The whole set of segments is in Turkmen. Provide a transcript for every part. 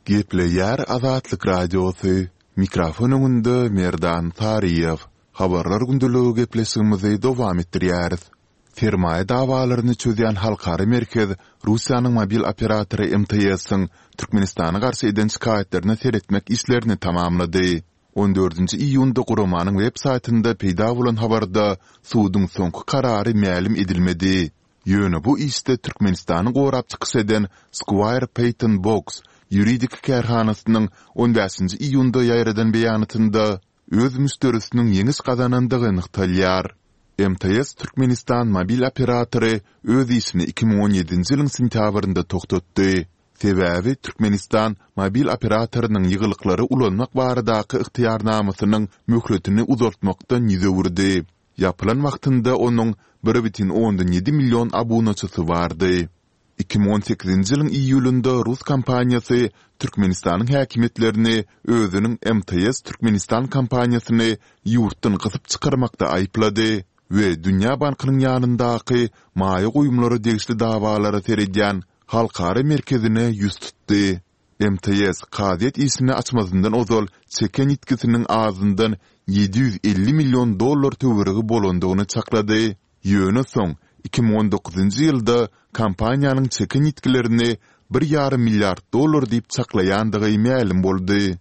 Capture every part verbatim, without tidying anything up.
Gepleýär Azatlyk Radiosy, mikrofon öňünde Merdan Saryýew. Habarlar gündeligi gepleşigimizi dowam etdirýäris. Sermaýa dawalaryny çözýän halkara merkez Russiýanyň mobil operatory MTS-iň Türkmenistana garşy eden şikaýatlaryna seretmek işlerini tamamlady. On dördünji iýunda guramanyň web saýtynda peýda bolan habarda suduň soňky karary mälim edilmedi. Ýöne bu işde Türkmenistany gorap çykyş eden Squire Patton Boggs ýuridik kärhanasynyň on bäşinji iýunda ýaýradan beýanatynda öz müşderisiniň ýeňiş gazanandygy nygtalýar. MTS Türkmenistan mobil operatory öz işini iki müň on ýedinji ýylyň sentýabrynda togtatdy. Sebäbi Türkmenistan mobil operatorynyň ýygylyklary ulanmak baradaky ygtyýarnamasynyň möhletini uzaltmakdan ýüz öwürdi. Ýapylan wagtynda onuň bir bütin ondan ýedi million abunaçysy bardy. Iki müň on sekizinji ýylyň iýulynda rus kompaniýasy Türkmenistanyň häkimiýetlerini özüniň MTS Türkmenistan kompaniýasyny ýurtdan gysyp çykarmakda aýyplady we Dünýä bankynyň ýanyndaky maýa goýumlara degişli dawalara seredýän halkara merkezine ýüz tutdy. MTS kazyýet işini açmazyndan ozal çeken ýitgisiniň azyndan ýedi ýüz elli million dollar töweregi bolandygyny çaklady, ýöne soň iki müň on dokuzynjy ýylda kompaniýanyň çeken ýitgilerini bir ýarym milliard dollar diýip çaklaýandygy mälim boldy.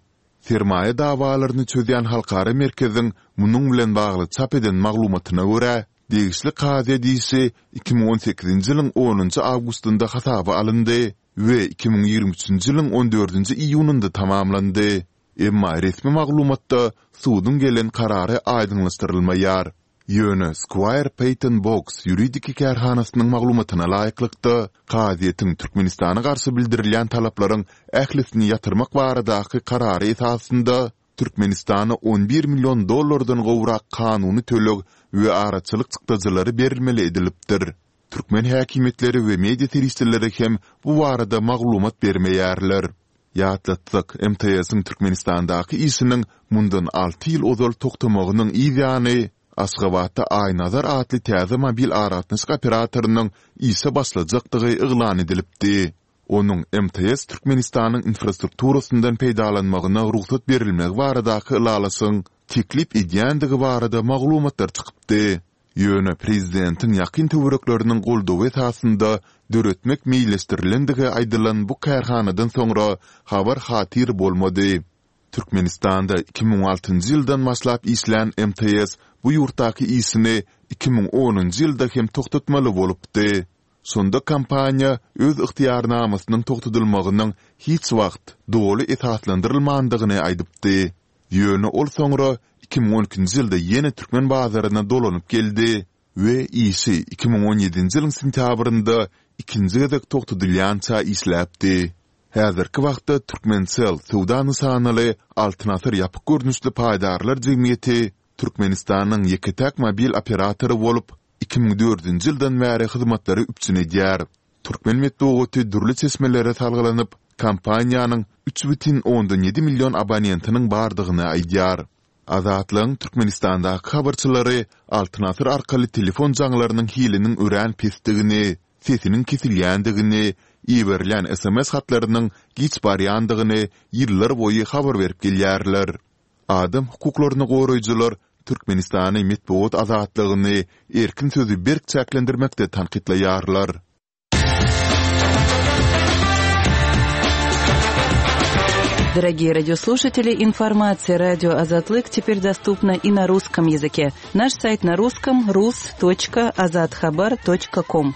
Sermaýa dawalaryny çözýän halkara merkeziň munuň bilen bagly çap eden maglumatyna görä, degişli kazyýet işi iki müň on sekizinji ýylyň onunjy awgustynda hasaba alyndy we iki müň ýigrimi üçünji ýylyň on dördünji iýunynda tamamlandy. Emma resmi maglumatda suduň gelen karary aýdyňlaşdyrylmaýar. Ýöne Squire Patton Boggs ýuridik kärhanasynyň maglumatyna laýyklykda, kazyýetiň Türkmenistana garşy bildirilýän talaplaryň ählisini ýatyrmak baradaky karary esasynda Türkmenistana on bir million dollardan gowrak kanuny töleg we araçylyk çykdajylary berilmeli edilipdir. Türkmen häkimiýetleri we media serişdeleri hem bu barada maglumat bermeýärler. Ýatlatsak, MTS-iň Türkmenistandaky işiniň mundan alty ýyl ozal togtamagynyň yz ýany, Aşgabatda Aýnazar atly täze mobil aragatnaşyk operatorynyň işe başlajakdygy yglan edilipdi. Onuň MTS Türkmenistanyň infrastrukturasyndan peýdalanmagyna rugsat berilmegi baradaky ylalaşygyň teklip edýändigi barada maglumatlar çykypdy. Ýöne prezidentiň ýakyn töwerekleriniň goldawy esasynda döretmek meýilleşdirilendigi aýdylan bu kärhanadan soňra habar-hatyr bolmady. Türkmenistanda iki müň altynjy ýyldan başlap işlän MTS bu ýurtdaky işini iki müň onunjy ýylda hem togtatmaly bolupdy. Şonda kompaniýa öz ygtyýarnamasynyň togtadylmagynyň hiç wagt doly esaslandyrylmandygyny aýdypdy. Ýöne ol soňra iki müň on ikinji ýylda ýene türkmen bazaryna dolanyp geldi we işi iki müň on ýedinji ýylyň sentýabrynda ikinji gezek togtadylýança işläpdi. Häzirki wagtda Türkmencell söwda nyşanaly Altyn asyr ýapyk görnüşli paýdarlar jemgyýeti Türkmenistanyň ýeke-täk mobil operatory bolup, iki müň dördünji ýyldan bäri hyzmatlary üpjün edýär. Türkmen metbugaty dürli çeşmelere salgylanyp, kompaniýanyň üç bütin ondan ýedi million abonentiniň bardygyny aýdýar. Azatlygyň Türkmenistandaky habarçylary Altyn asyr arkaly telefon jaňlarynyň hiliniň örän pesdigini, sesiniň kesilýändigini, iberilýän sms hatlarynyň giç barýandygyny ýyllarboýy habar berip gelýärler. Adam hukuklaryny goraýjylar Türkmenistany metbugat azatlygyny, erkin sözi berk çäklendirmekde tankytlaýarlar. Дорогие радиослушатели, информация радио Азатлык теперь доступна и на русском языке. Наш сайт на русском rus.azathabar.com.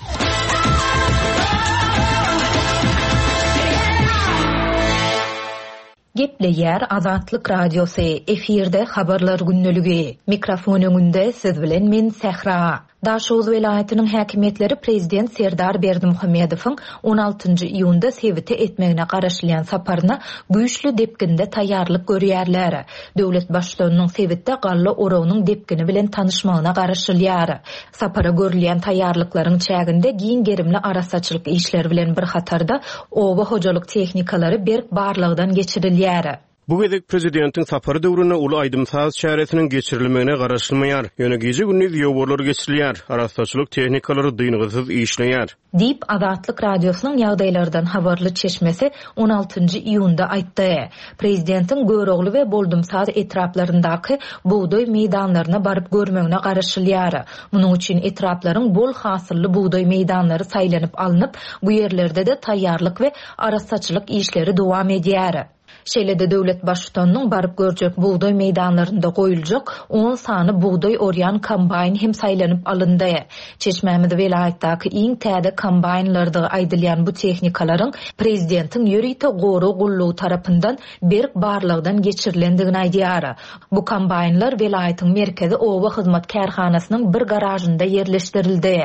Gepleýär Azatlyk Radiosy, efirde Habarlar gündeligi. Mikrofon öňünde siz bilen men Sähra. Daşoguz welaýatynyň häkimiýetleri prezident Serdar Berdimuhamedowyň on altynjy iýunda sebite etmegine garaşylýan saparyna güýçli depginde taýýarlyk görýärler. Döwlet baştutanynyň sebitde galla oragynyň depgini bilen tanyşmagyna garaşylýar. Sapara görülýän taýýarlyklaryň çäginde giň gerimli arassaçylyk işleri bilen bir hatarda oba hojalyk tehnikalary berk barlagdan geçirilýär. Bu gezek prezidentiň sapary döwründe uly aýdym-saz çäresiniň geçirilmegine garaşylmaýar. Ýöne gije-gündiz ýowarlar geçirilýär, arassaçylyk tehnikalary dyngysyz işleýär. Diýip, Azatlyk Radiosynyň ýagdaýlardan habarly çeşmesi on altynjy iýunda aýtdy. Prezidentiň Görogly we Boldumsaz etraplaryndaky bugdaý meýdanlaryna baryp görmegine garaşylýar. Munuň üçin etraplaryň bol hasylly bugdaý meýdanlary saýlanyp alnyp, bu ýerlerde-de taýýarlyk we arassaçylyk işleri dowam edýär. Şeýle-de döwlet baştutanynyň baryp görjek bugdaý meýdanlarynda goýuljak on sany bugdaý orýan kombaýn hem saýlanyp alyndy. Çeşmämiz welaýatdaky iň täze kombaýnlardygy aýdylýan bu tehnikalaryň prezidentiň ýörite gorag gullugy tarapyndan berk barlagdan geçirilendigini aýdýar. Bu kombaýnlar welaýatyň merkezi oba hyzmat kärhanasynyň bir garažynda ýerleşdirildi.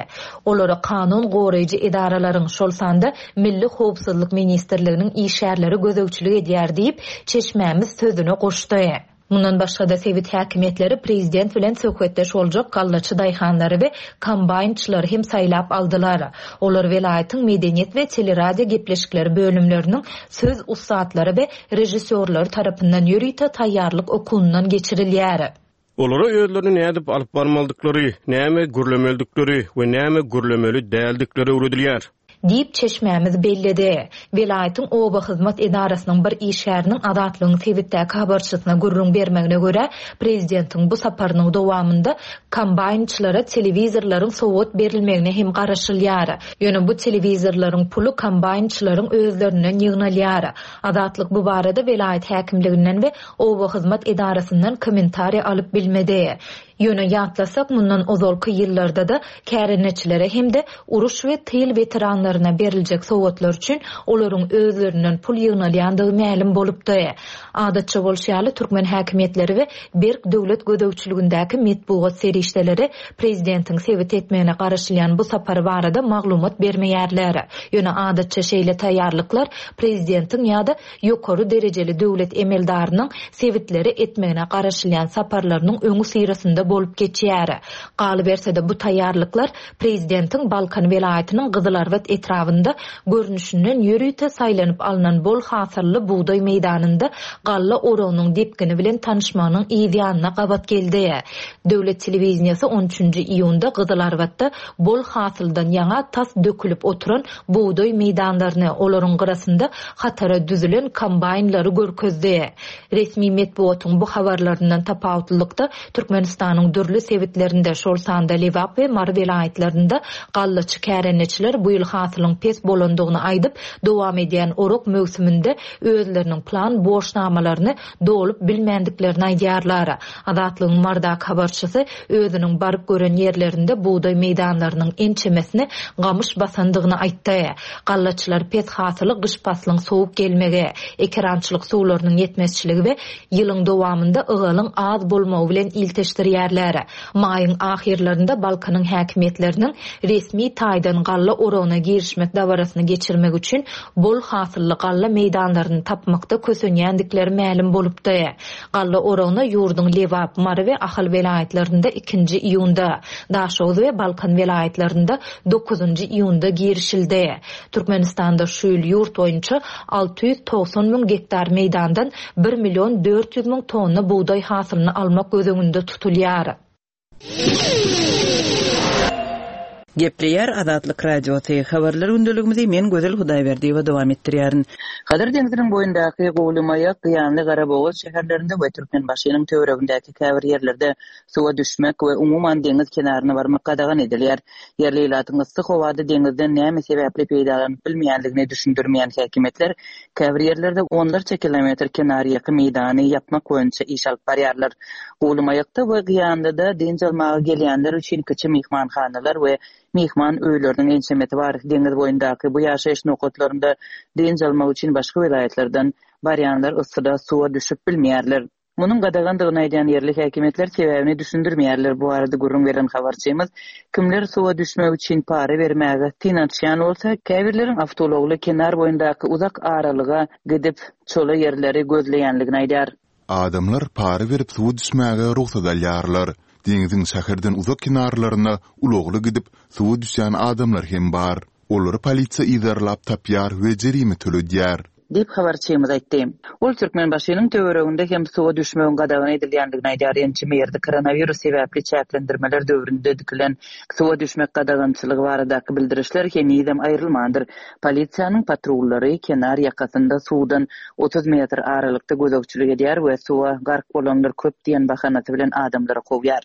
Olara kanun goraýjy edaralaryň, şol sanda Milli Howpsuzlyk Ministrliginiň işgärleri gözegçilik edýär diýip, çeşmämiz sözüne goşdy. Mundan başga-da sebit häkimiýetleri prezident bilen söhbetdeş boljak gallaçy daýhanlary we kombaýnçylary hem saýlap aldylar. Olar welaýatyň medeniýet we teleradio gepleşikleri bölümleriniň söz ussatlary we režissýorlary tarapyndan ýörite taýýarlyk okuwyndan geçirilýär. Olara özlerini nädip alyp barmalydyklary, näme gürlemelidikleri we näme gürlemeli däldikleri öwredilýär. Diýip çeşmämiz belledi. Welaýatyň oba hyzmat edarasynyň bir işgäriniň Azatlygyň sebitdäki habarçysyna gürrüň bermegine görä, prezidentiň bu saparynyň dowamynda kombaýnçylara telewizorlaryň sowgat berilmegine hem garaşylýar. Ýöne bu telewizorlaryň puly kombaýnçylaryň özlerinden ýygnalýar. Azatlyk bu barada welaýat häkimliginden we oba hyzmat edarasyndan kommentariýa alyp bilmedi. Ýöne ýatlasak, mundan ozalky ýyllarda-da kärendeçilere hem-de uruş we tyl weteranlaryna beriljek sowgatlar üçin olaryň özlerinden pul ýygnalýandygy mälim bolupdy. Adatça bolşy ýaly türkmen häkimiýetleri we berk döwlet gözegçiligindäki metbugat serişdeleri prezidentiň sebit etmegine garaşylýan bu sapary barada maglumat bermeýärler. Ýöne adatça şeýle taýýarlyklar prezidentiň ýa-da ýokary derejeli döwlet emeldarynyň sebitleri etmegine garaşylýan saparlarynyň öňi syrasynda bolup geçýär. Galyberse-de bu taýýarlyklar prezidentiň Balkan welaýatynyň Gyzylarbat etrabynda görnüşinden ýörite saýlanyp alnan bol hasylly bugdaý meýdanynda galla oragynyň depgini bilen tanyşmagynyň ýanyna gabat geldi. Döwlet telewiziyası on üçünji iýunda Gyzylarbatda bol hasyldan ýaňa tas dökülip oturan bugdaý meýdanlaryny, olaryň gyrasynda hatara düzülen kombaýnlary görkezdi. Resmi metbugatyň bu habarlaryndan tapawutlylykda Türkmenistanyň dürli sebitlerinde, şol sanda Lebap we Mary welaýatlarynda gallaçy kärendeçiler bu ýyl hasylyň pes bolandygyny aýdyp, dowam edýän orak möwsüminde özleriniň plan borçnamalaryny dolup bilmändiklerini aýdýarlar. Azatlygyň Mardak habarçysy özüniň baryp gören ýerlerinde bugdaý meýdanlarynyň ençemesini gamyş basandygyny aýtdy. Gallaçylar pes hasyly gyş paslyň sowuk gelmegi, ekerançylyk suwlarynyň ýetmezçiligi we ýylyň dowamynda ygalyň az bolmagy bilen ilteşdirýärler. Maýyň ahyrlarynda Balkanyň häkimiýetleriniň resmi taýdan galla oragyna girişmek dabarasyny geçirmek üçin bol hasylly galla meýdanlaryny tapmakda kösenýändikleri mälim bolupdy. Galla oragyna ýurduň Lebap, Mary we Ahal welaýatlarynda ikinji iýunda, Daşoguz we Balkan welaýatlarynda dokuzynjy iýunda girişildi. Türkmenistanda şu ýyl ýurt boýunça alty ýüz togsan müň gektar meýdandan bir million dört ýüz müň tonna bugdaý hasylyny almak göz öňünde tutulýar. Gepleýär Azatlyk Radiosy. Habarlar gündeligimizi men Gözel Hudaýberdiýewa dowam etdirýärin. Hazar deňziniň boýundaky Gowlymaýak, Gyýanly, Garabogaz şäherlerinde we Türkmenbaşynyň töweregindäki käbir ýerlerde suwa düşmek we umuman deňiz kenaryna barmak gadagan edilýär. Ýerli ilatyň yssy howada deňizden näme sebäpli peýdalanyp bilmeýändigini düşündirmeýän häkimiýetler käbir ýerlerde onlarça kilometr kenarýaka meýdany ýapmak boýunça iş alyp barýarlar. Gowlymaýakda we Gyýanlyda dynç almaga gelýänler üçin kiçi myhmanhanalar we mihman öýleriniň ençemesi bar. Deňiz boýundaky bu ýaşaýyş nokatlarynda dynç almak üçin başga welaýatlardan barýanlar yssyda suwa düşüp bilmeýärler. Munuň gadagandygyny aýdýan ýerli häkimiýetler sebäbini düşündirmeýärler. Bu arada gürrüň beren habarçymyz kimler suwa düşmek üçin para bermäge synanyşýan bolsa, käbirleriň awtoulagly kenar boýundaky uzak aralyga gidip çola ýerleri gözleýänligini aýdar. Adamlar para berip suwa düşmäge rugsat alýarlar. Deňziň şäherden uzak kenarlaryna ulagly gidip suwa düşýän adamlar hem bar. Olary polisiýa yzarlap tapýar we jerime töledýär. Diýip, habarçymyz aýtdy. Ol Türkmenbaşynyň töwereginde hem suwa düşmegiň gadagan edilýändigini aýdýar. Ençeme ýerde koronawirus sebäpli çäklendirmeler döwründe dikilen suwa düşmek gadagançylygy baradaky bildirişler henizem aýrylmandyr. Polisiýanyň patrullary kenar ýakasynda suwdan otuz metr aralykda gözegçilik edýär we suwa gark bolanlar köp diýen bahanasy bilen adamlary kowýar.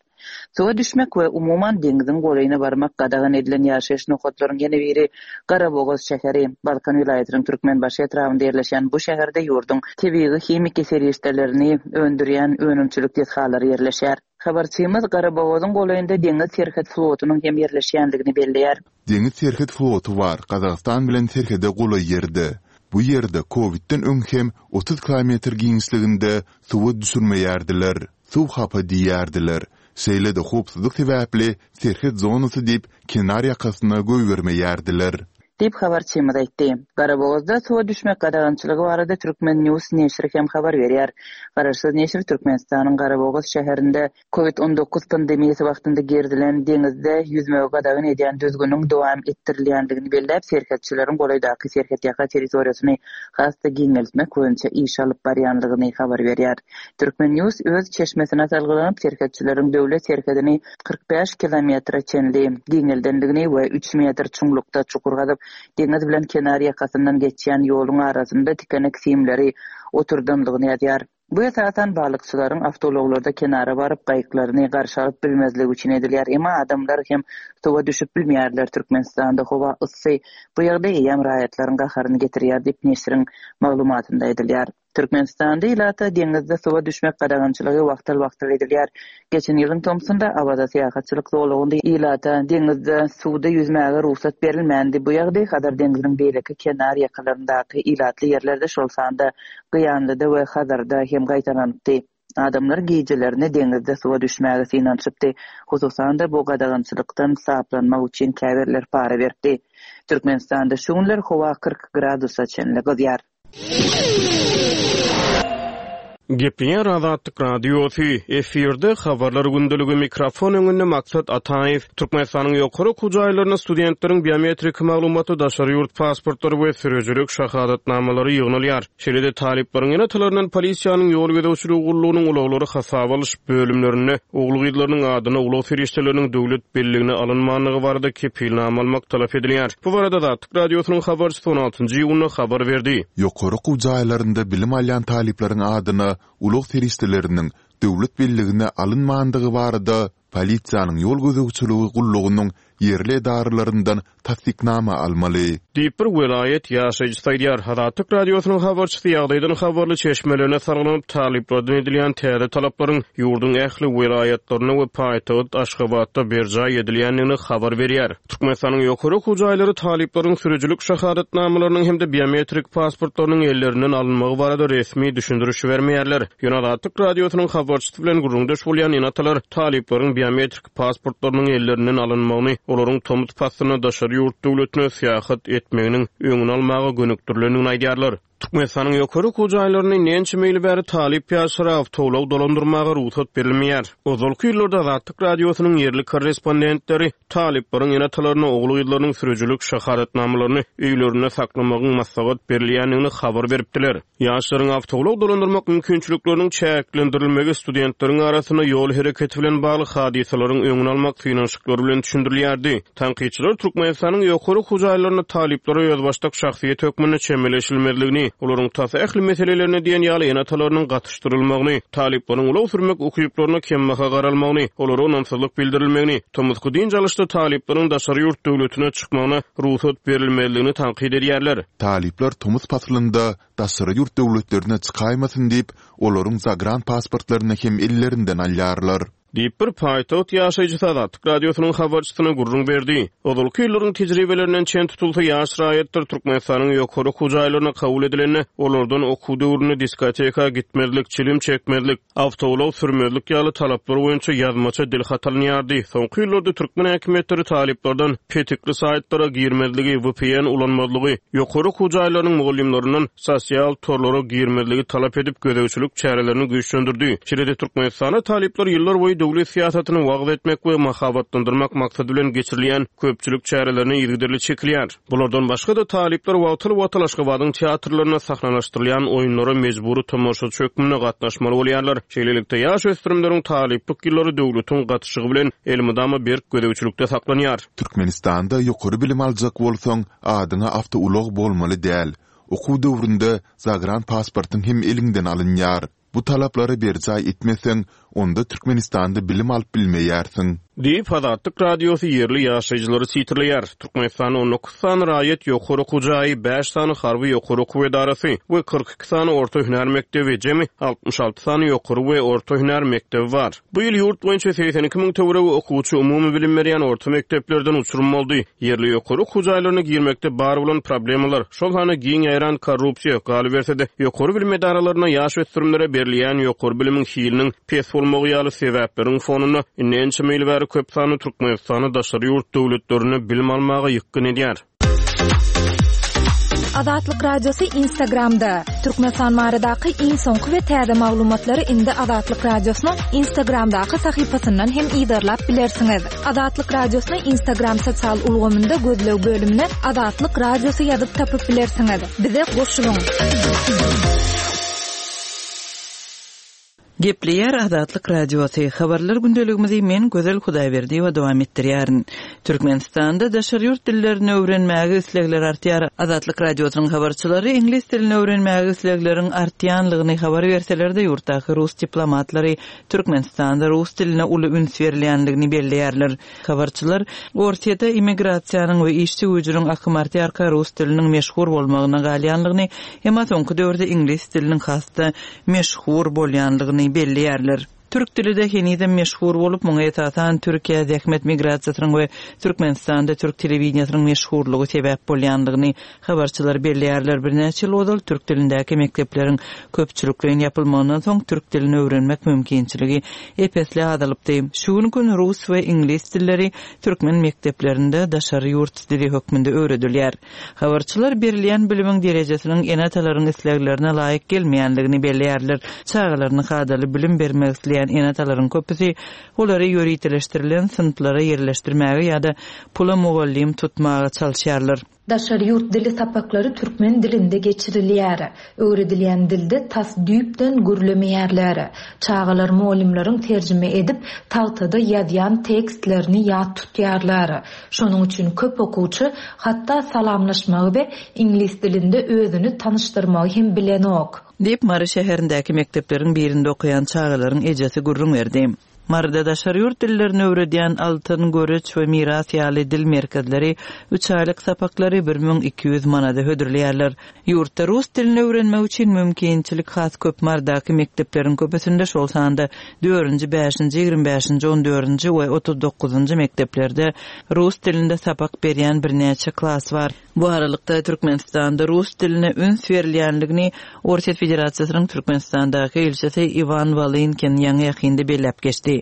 Suwa düşmek we umuman deňziň golaýyna barmak gadagan edilen ýaşaýyş nokatlaryň ýene biri Garabogaz şäheri. Balkan welaýatynyň Türkmenbaşy etrabynda ýerleşýän bu şäherde ýurduň tebigy himiki serişdelerini öndürýän önümçilik desgalary ýerleşýär. Habarçymyz Garabogazyň golaýynda deňiz serhet flotunyň hem ýerleşýändigini belleýär. Deňiz serhet floty bar, Gazagystan bilen serhede golaý ýerde. Bu ýerde kowidden öň hem otuz kilometr giňişliginde suwa düşürmeýärdiler. Suw hapa diýýärdiler. Şeýle-de howpsuzlyk sebäpli serhet zonasy diýip kenar ýakasyna goýbermeýärdiler. Diýip habarçymyz aýtdy. Garabogazda suwa düşmek gadagançylygy barada Türkmen News neşiri hem habar berýär. Garaşsyz neşir Türkmenistanyň Garabogaz şäherinde Covid on dokuz pandemiýasy wagtynda gerizilen deňizde ýüzmegi gadagan edýän düzgüniň dowam etdirilýändigini belläp, serhetçileriň golaýdaky serhetýaka territoriýasyny has-da giňeltmek boýunça iş alyp barýanlygyny habar berýär. Türkmen News öz çeşmesine salgylanyp, serhetçileriň döwlet serhedini kyrk bäş kilometre çenli giňeldendigini we üç metr çuňlukda çukur gazyp, deňiz bilen kenar ýakasyndan geçýän ýoluň arasynda tikenek simleri oturdanlygyny ýazýar. Bu esasan balykçylaryň awtoulaglarda kenara baryp gaýyklaryny garşy alyp bilmezligi üçin edilýär. Emma adamlar hem suwa düşüp bilmeýärler. Türkmenistanda howa yssy bu ýagdaý eýýäm raýatlaryň gaharyny getirýär diýip neşiriň maglumatynda aýdylýar. Türkmenistanda ilata deňizde suwa düşmek gadagançylygy wagtal-wagtal edilýär. Geçen ýylyň tomsunda Awaza syýahatçylyk zolagynda ilata deňizde suwda ýüzmäge rugsat berilmändi. Bu ýagdaý Hazar deňziniň beýleki kenar ýakalaryndaky ilatly ýerlerde, şol sanda Gyýanlyda we Hazarda hem gaýtalanypdy. Adamlar gijelerini deňizde suwa düşmäge synanyşypdy. Hususan-da bu gadagançylykdan saplanmak üçin käbirler para beripdi. Türkmenistanda şu günler howa kyrk gradusa çenli gyzýar. Gepleýär Azatlyk Radiosy, efirde habarlar gündeligi, mikrofon öňünde Maksat Ataýew. Türkmenistanyň ýokary okuw jaýlarynda studentleriň biometrik maglumaty, daşary ýurt pasportlary we sürüjilik şahadatnamalary ýygnalýar. Şeýle-de talyplaryň ene-atalaryndan polisiýanyň ýol gözegçiligi gullugynyň ulaglary hasaba alyş bölümlerinde ogul-gyzlarynyň adyna ulag serişdeleriniň döwlet belligine alynmanlygy barada kepilnama almak talap edilýär. Bu barada Azatlyk Radiosynyň habarçysy on altynjy iýunda habar berdi. Ýokary okuw jaýlarynda bilim alýan talyplaryň adyna ulag serişdeleriniň döwlet belligine alynmandygy barada polisiýanyň ýol gözegçiligi gullugynyň ýerli edaralaryndan tassyknama almaly. Diýip bir welaýat ýaşaýjysy aýdýar. Azatlyk Radiosynyň habarçysy ýagdaýdan habarly çeşmelerine salgylanyp talyplardan edilýän täze talaplaryň ýurduň ähli welaýatlarynda we paýtagt Aşgabatda berjaý edilýändigini habar berýär. Türkmenistanyň ýokary okuw jaýlary talyplaryň sürüjilik şahadatnamalarynyň hem-de biometrik pasportlarynyň ellerinden alynmagy barada resmi düşündiriş bermeýärler. Ýöne Azatlyk Radiosynyň habarçysy bilen gürrüňdeş bolýan ene-atalar talyplaryň biometrik pasportlarynyň ellerinden alynmagyny olaryň tomus paslynda daşary ýurt döwletine syýahat etmeginiň öňüni almaga gönükdirilendigini aýdýarlar. Türkmenistanyň ýokary okuw jaýlaryny näçe ýyl bäri talyp ýaşlara awtoulag dolandyrmaga rugsat berilmeýär. Ozalky ýyllarda Azatlyk Radiosynyň ýerli korrespondentleri talyplaryň ene-atalaryna ogul-gyzlarynyň sürüjilik şahadatnamalaryny öýlerinde saklamagyň maslahat berilýändigini habar beripdiler. Ýaşlaryň awtoulag dolandyrmak mümkinçilikleriniň çäklendirilmegi studentleriň arasynda ýol hereketi bilen bagly hadysalaryň öňüni almak synanyşyklary bilen düşündirilýärdi. Tankytçylar Türkmenistanyň ýokary okuw jaýlarynda talyplara özbaşdak şahsyýet hökmünde çemeleşilmezligini, olaryň tas ähli meselelerine diýen ýaly ene-atalarynyň gatyşdyrylmagyny, talyplaryň ulag sürmek ukyplaryna kembaha garalmagyny, olara ynamsyzlyk bildirilmegini, tomusky dynç alyşda talyplaryň daşary ýurt döwletine çykmagyna rugsat berilmezligini tankyt edýärler. Talyplar tomus paslynda daşary ýurt döwletlerine çykaýmasyn diýip, olaryň zagran pasportlaryny hem ellerinden alýarlar. Diýip bir paýtagt ýaşaýjysy Azatlyk Radiosynyň habarçysyna gürrüň berdi. Ozalky ýyllaryň tejribelerinden çen tutulsa ýaş raýatlar Türkmenistanyň ýokary okuw jaýlaryna kabul edilende olardan okuw döwründe diskoteka gitmezlik, çilim çekmezlik, awtoulag sürmezlik ýaly talaplar boýunça ýazmaça dil hat alynýardy. Soňky ýyllarda türkmen häkimiýetleri talyplardan petikli saýtlara girmezligi, V P N ulanmazlygy, ýokary okuw jaýlarynyň mugallymlaryndan sosial torlara girmezligi talap edip gözegçilik çärelerini güýçlendirdi. Şeýle-de Türkmenistanda talyplar ýyllar boýy döwlet syýasatyny wagyz etmek we mahabatlandyrmak maksady bilen geçirilýän köpçülik çärelerine yzygiderli çekilýär. Bulardan başga-da talyplar wagtal-wagtal Aşgabadyň teatrlarynda sahnalaşdyrylýan oýunlara mejbury tomaşaçy hökmünde gatnaşmaly bolýarlar. Şeýlelikde, ýaş ösdürimleriň talyplyk ýyllary döwletiň gatyşygy bilen elmydama berk gözegçilikde saklanýar. Türkmenistanda ýokary bilim aljak bolsaň, adyňa awtoulag bolmaly däl. Okuw döwründe zagran pasportyň hem eliňden alynýar. Bu talaplary berjaý etmeseň, onda Türkmenistanda bilim alyp bilmeýärsiň. Diýip, Azatlyk Radiosy ýerli ýaşaýjylary sitirleýär. Türkmenistanda on dokuz sany raýat ýokary okuw jaýy, bäş sany harby ýokary okuw edarasy we kyrk iki sany orta hünär mekdebi, jemi altmyş alty sany ýokary we orta hünär mekdebi bar. Bu ýyl ýurt boýunça segsen iki müň töweregi okuwçy umumy bilim berýän orta mekdeplerden uçurum boldy. Ýerli ýokary okuw jaýlaryna girmekde bar bolan problemalar, şol sanda giň ýaýran korrupsiýa, galyberse-de ýokary bilim edaralaryna ýaş ösdürimlere berilýän ýokary bilimiň hiliniň pes bolmagy ýaly sebäpleriň fonunda indi ençeme ýyl bäri köp sanly Türkmenistany daşary ýurt döwletlerinde bilim almaga ýykgyn edýär. Azatlyk Radiosy Instagramda. Türkmenistan baradaky iň soňky we täze maglumatlary indi Azatlyk Radiosynyň Instagramdaky sahypasyndan hem yzarlap bilersiňiz. Azatlyk Radiosyny Instagram sosial ulgamynda gözleg bölümine Azatlyk Radiosy ýazyp tapyp bilersiňiz. Bize goşulyň. Gepleýär Azatlyk Radiosy. Habarlar gündeligimizi men Gözel Hudaýberdiýewa dowam etdirýärin. Türkmenistanda daşary ýurt dillerini öwrenmäge islegler artýar. Azatlyk Radiosynyň habarçylary iňlis dilini öwrenmäge islegleriň artýanlygyny habar berseler-de ýurtdaky rus diplomatlary Türkmenistanda rus diline uly üns berilýänligini belleýärler. Habarçylar Orsýetde immigrasiýanyň we işçi güýjüniň akymy artýarka rus diliniň meşhur bolmagyna galýanlygyny, emma soňky döwürde iňlis diliniň has-da meşhur bolýanlygyny belleýärler. Türk dili de henizem meşhur bolup, muňa esasan Türkiýe zähmet migrasiýasynyň we Türkmenistanda türk telewideniýasynyň meşhurlygy sebäp bolýanlygyny habarçylar belleýärler. Birnäçe ýyl ozal türk dilindäki mekdepleriň köpçülikleýin ýapylmagyndan soň türk dilini öwrenmek mümkinçiligi epesli azalypdy. Şu gün gün rus we iňlis dilleri türkmen mekdeplerinde daşary ýurt dili hökmünde öwredilýär. Habarçylar berilýän bilimiň derejesiniň ene-atalaryň isleglerine laýyk gelmeýänligini belleýärler. Çagalaryna kadaly bilim bermek isleýän ene-atalaryň köpüsi olary ýöriteleşdirilen synplara ýerleşdirmäge ýa-da pula mugallym tutmaga çalyşýarlar. Daşary ýurt dili sapaklary türkmen dilinde geçirilýär. Öwredilýän dilde tas düýpden gürlemeýärler. Çagalar mugallymlaryň terjime edip tagtada ýazýan tekstlerini ýat tutýarlar. Şonuň üçin köp okuwçy hatda salamlaşmagy we iňlis dilinde özüni tanyşdyrmagy hem bilenok. Diýip Mary şäherindäki mekdepleriň birinde okaýan çagalaryň ejesi gürrüň berdi. Maryda daşary ýurt dillerini öwredýän Altyn, Göreç we Miras ýaly dil merkezleri üç aýlyk sapaklary bir müň iki ýüz manada hödürleýärler. Ýurtda rus dilini öwrenmek üçin mümkinçilik has köp Marydaky mekdepleriň köpüsinde şol sanda dördünji, bäşinji, ýigrimi bäşinji, on dördünji we otuz dokuzynjy mekdeplerde rus dilinde sapak berýän birnäçe klas bar. Bu aralykda Türkmenistanda rus diline üns berilýänligini Orsýet Federasiýasynyň Türkmenistandaky ilçisi Iwan Wolynkin ýaňy ýakynda belläp geçdi.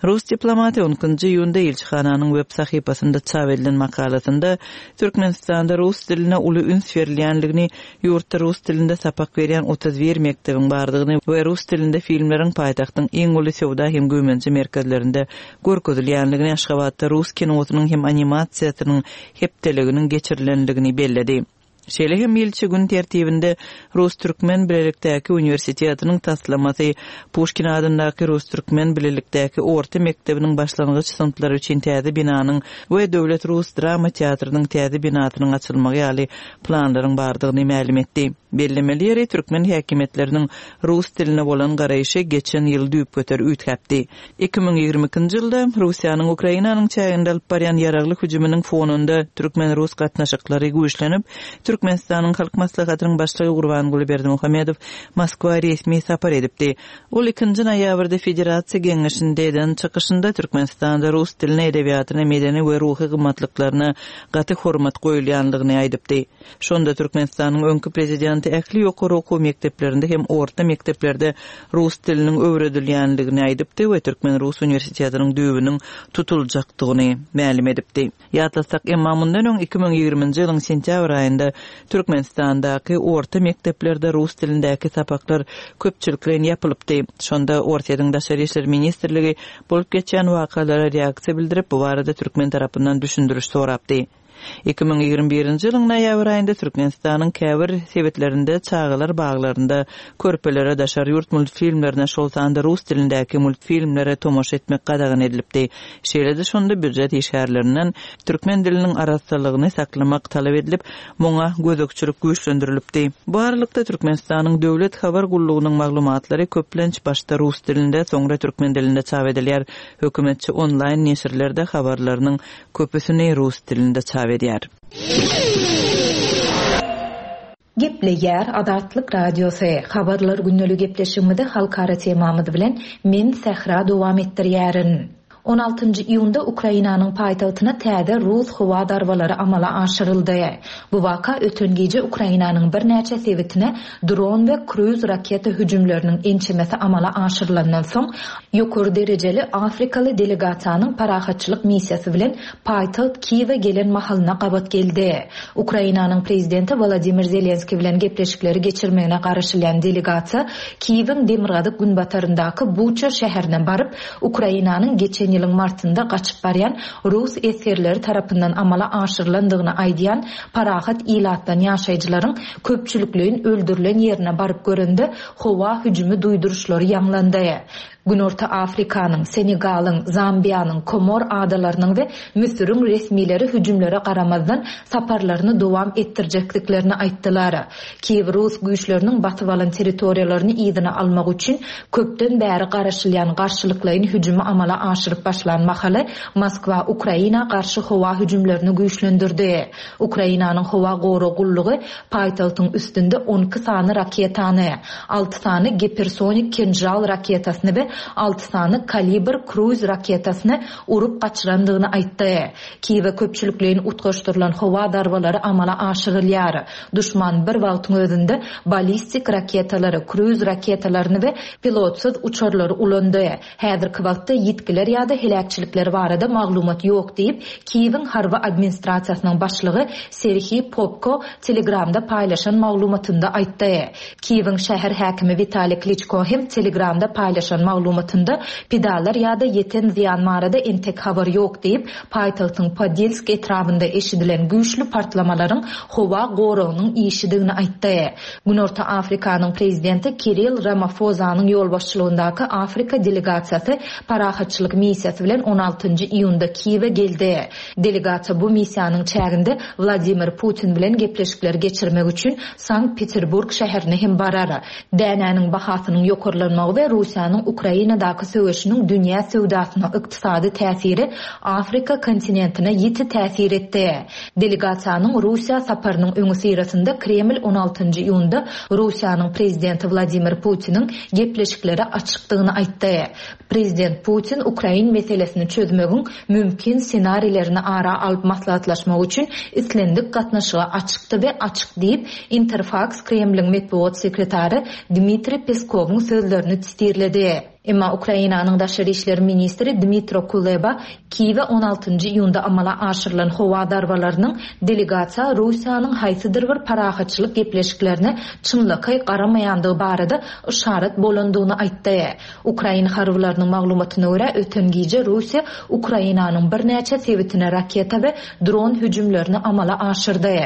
Rus diplomaty on ikinji iýunda ilçihananyň web sahypasynda çap edilen makalasynda Türkmenistanda rus diline uly üns berilýänligini, ýurtda rus dilinde sapak berýän otuz bir mekdebiň bardygyny we rus dilinde filmleriň paýtagtyň iň uly söwda hem güýmenje merkezlerinde görkezilýänligini, Aşgabatda rus kinosynyň hem animasiýasynyň hepdeliginiň geçirilenligini belledi. Şeýle hem ilçi gün tertibinde Rus-Türkmen Bilelikdäki Uniwersitetiniň taslamasy, Puşkin adyndaky Rus-Türkmen Bilelikdäki Orta mekdebiniň başlangyç synplary üçin täze binanyň we Döwlet Rus drama teatrynyň täze binasynyň açylmagy ýaly planlaryň bardygyny mälim etdi. Bellemeli ýeri türkmen häkimiýetleriniň rus diline bolan garaýşy geçen ýyl düýpgöter üýtgäpdi. Iki müň ýigrimi ikinji ýylda Russiýanyň Ukrainanyň çäginde alyp barýan ýaragly hüjüminiň fonunda türkmen-rus gatnaşyklary güýçlenip, Türkmenistanyň Halk Maslahatynyň başlygy Gurbanguly Berdimuhamedow Moskwa resmi sapar edipdi. Ol ikinji noýabrda Federasiýa Geňeşinde eden çykyşynda Türkmenistanda rus diline, edebiýatyna, medeni we ruhy gymmatlyklaryna gaty hormat goýulýanlygyny aýdypdy. Şonda Türkmenistanyň öňki prezidenti prezidenti ähli ýokary okuw mekdeplerinde hem orta mekdeplerde rus diliniň öwredilýändigini aýdypdy we Türkmen-Rus uniwersitetiniň düýbüniň tutuljakdygyny mälim edipdi. Ýatlasak, emma mundan öň iki müň ýigriminji ýylyň sentýabr aýynda Türkmenistandaky orta mekdeplerde rus dilindäki sapaklar köpçülikleýin ýapylypdy. Şonda Orsýetiň Daşary işler ministrligi bolup geçýän wakalara reaksiýa bildirip, bu barada türkmen tarapyndan düşündiriş sorapdy. Iki müň ýigrimi birinji ýylyň noýabr aýynda Türkmenistanyň käbir sebitlerinde çagalar baglarynda körpelere daşary ýurt multfilmlerine, şol sanda rus dilindäki multfilmlere tomaşa etmek gadagan edilipdi. Şeýle-de şonda býujet işgärlerinden türkmen diliniň arassalygyny saklamak talap edilip, muňa gözegçilik güýçlendirilipdi. Bu aralykda Türkmenistanyň Döwlet habar gullugynyň maglumatlary köplenç başda rus dilinde, soňra türkmen dilinde çap edilýär. Hökümetçi onlaýn neşirlerde habarlarynyň köpüsini rus dilinde çap edýär. Gepleýär Azatlyk Radiosy. Habarlar gündelik gepleşigimizi halkara temamyz bilen men Sähra dowam etdirýärin. On altynjy iýunda Ukrainanyň paýtagtyna täze rus howa zarbalary amala aşyryldy. Bu waka öten gije Ukrainanyň birnäçe sebitine dron we kruz raketa hüjümleriniň ençemesi amala aşyrylandan soň ýokary derejeli Afrikaly delegasiýanyň parahatçylyk missiýasy bilen paýtagt Kiýewe gelen mahalyna gabat geldi. Ukrainanyň prezidenti Wladimir Zelenskiý bilen gepleşikleri geçirmegine garaşylýan delegasiýa Kiýewiň demirgazyk günbataryndaky Buça şäherine baryp, Ukrainanyň geçen ýylyň martynda gaçyp barýan rus esgerleri tarapyndan amala aşyrylandygyny aýdýan parahat ilatdan ýaşaýjylaryň köpçülikleýin öldürilen ýerine baryp görende howa hüjümi duýduryşlary ýaňlandy. Günorta Afrikanyň, Senegalyň, Zambiýanyň, Komor adalarynyň we Müsüriň resmileri hüjümlere garamazdan saparlaryny dowam etdirjekdiklerini aýtdylar. Kiýew rus güýçleriniň basyp alan territoriýalaryny yzyna almak üçin köpden bäri garaşylýan garşylyklaýyn hüjümi amala aşyryp başlan mahaly Moskwa Ukraina garşy howa hüjümlerini güýçlendirdi. Ukrainanyň howa gorag gullugy paýtagtyň üstünde on iki sany raketany, alty sany gipersonik Kinjal raketasyny we alty sany Kalibr kruz raketasyny urup gaçyrandygyny aýtdy. Kiýewe köpçülikleýin utgaşdyrylan howa zarbalary amala aşyrylýar. Duşman bir wagtyň özünde ballistik raketalary, kruz raketalaryny we pilotsyz uçarlary ulandy. Häzirki wagtda ýitgiler ýa-da heläkçilikler barada maglumat ýok diýip, Kiýewiň harby administrasiýasynyň başlygy Serhiý Popko Telegramda paýlaşan maglumatynda aýtdy. Kiýewiň şäher häkimi Witaliý Kliçko hem Telegramda paýlaşan maglumatynda pidalar ýa-da ýeten zyýan barada entek habar ýok diýip, paýtagtyň Podilsk etrabynda eşidilen güýçli partlamalaryň howa goragynyň işidigini aýtdy. Günorta Afrikanyň prezidenti Kiril Ramafozanyň ýolbaşçylygyndaky Afrika delegasiýasy parahatçylyk missiýasy bilen on altynjy iýunda Kiýewe geldi. Delegasiýa bu missiýanyň çäginde Wladimir Putin bilen gepleşikler geçirmek üçin Sankt-Peterburg şäherine hem barar. Dänäniň bahasynyň ýokarlanmagy we Russiýanyň Ukrainadaky söweşiniň dünýä söwdasyna ykdysady täsiri Afrika kontinentine ýiti täsir etdi. Delegasiýanyň Russiýa saparynyň öňi syrasynda Kreml on altynjy iýunda Russiýanyň prezidenti Wladimir Putiniň gepleşiklere açykdygyny aýtdy. Prezident Putin Ukrain meselesini çözmegiň mümkin ssenarilerini ara alyp maslahatlaşmak üçin islendik gatnaşyga açykdy we açyk diýip, Interfax Kremliň metbugat sekretary Dmitriý Peskowyň sözlerini titirledi. Emma Ukrainanyň daşary işler ministri Dmitro Kuleba Kiýewe on altynjy iýunda amala aşyrylan howa zarbalarynyň delegasiýa Russiýanyň haýsydyr bir parahatçylyk gepleşiklerine çynlakaý garamaýandygy barada yşarat bolandygyny aýtdy. Ukrain harbylarynyň maglumatyna görä öten gije Russiýa Ukrainanyň birnäçe sebitine raketa we dron hüjümlerini amala aşyrdy.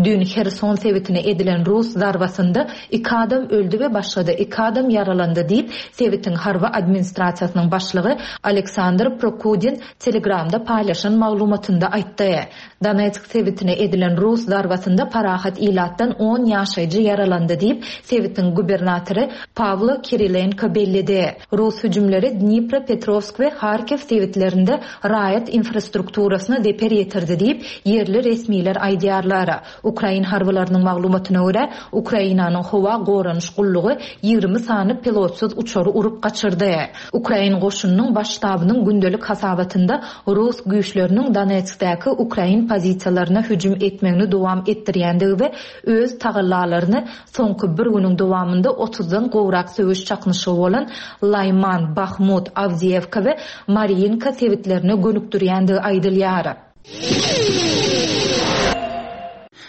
Dün Herson sebitine edilen Rus zarbasynda iki adam öldü we başga-da iki adam ýaralandy diýip, sebitiň harby administrasiýasynyň başlygy Aleksandr Prokudin Telegramda paýlaşan maglumatynda aýtdy. Donetsk sebitine edilen Rus zarbasynda parahat ilatdan on ýaşaýjy ýaralandy diýip, sebitiň gubernatory Pawlo Kirilenko belledi. Rus hüjümleri Dnipropetrovsk we Harkiw sebitlerinde raýat infrastrukturasyna zeper ýetirdi diýip, ýerli resmiler aýdýarlar. Ukrain harbylarynyň maglumatyna görä, Ukrainanyň howa goranyş gullugy ýigrimi sany pilotsyz uçary urup gaçyrdy. tabşyrdy. Ukrain goşunynyň Baş ştabynyň gündelik hasabatynda rus güýçleriniň Donetskdäki ukrain pozisiýalaryna hüjüm etmegini dowam etdirýändigi we öz tagallalaryny soňky bir günüň dowamynda otuzdan gowrak söweş çaknyşygy bolan Laýman, Bahmut, Awdiýewka we Marýinka sebitlerine gönükdirýändigi aýdylýar.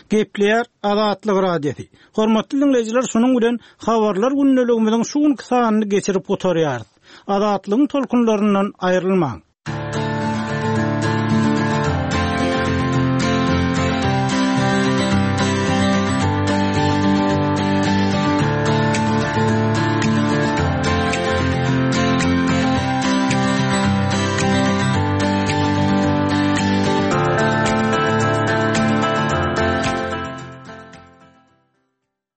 Gepleýär Azatlyk Radiosy. Hormatly diňleýjiler, şunuň bilen habarlar gündeligimiziň şu günki sanyny geçirip gutarýarys. Azatlygyň tolkunlaryndan aýrylmaň.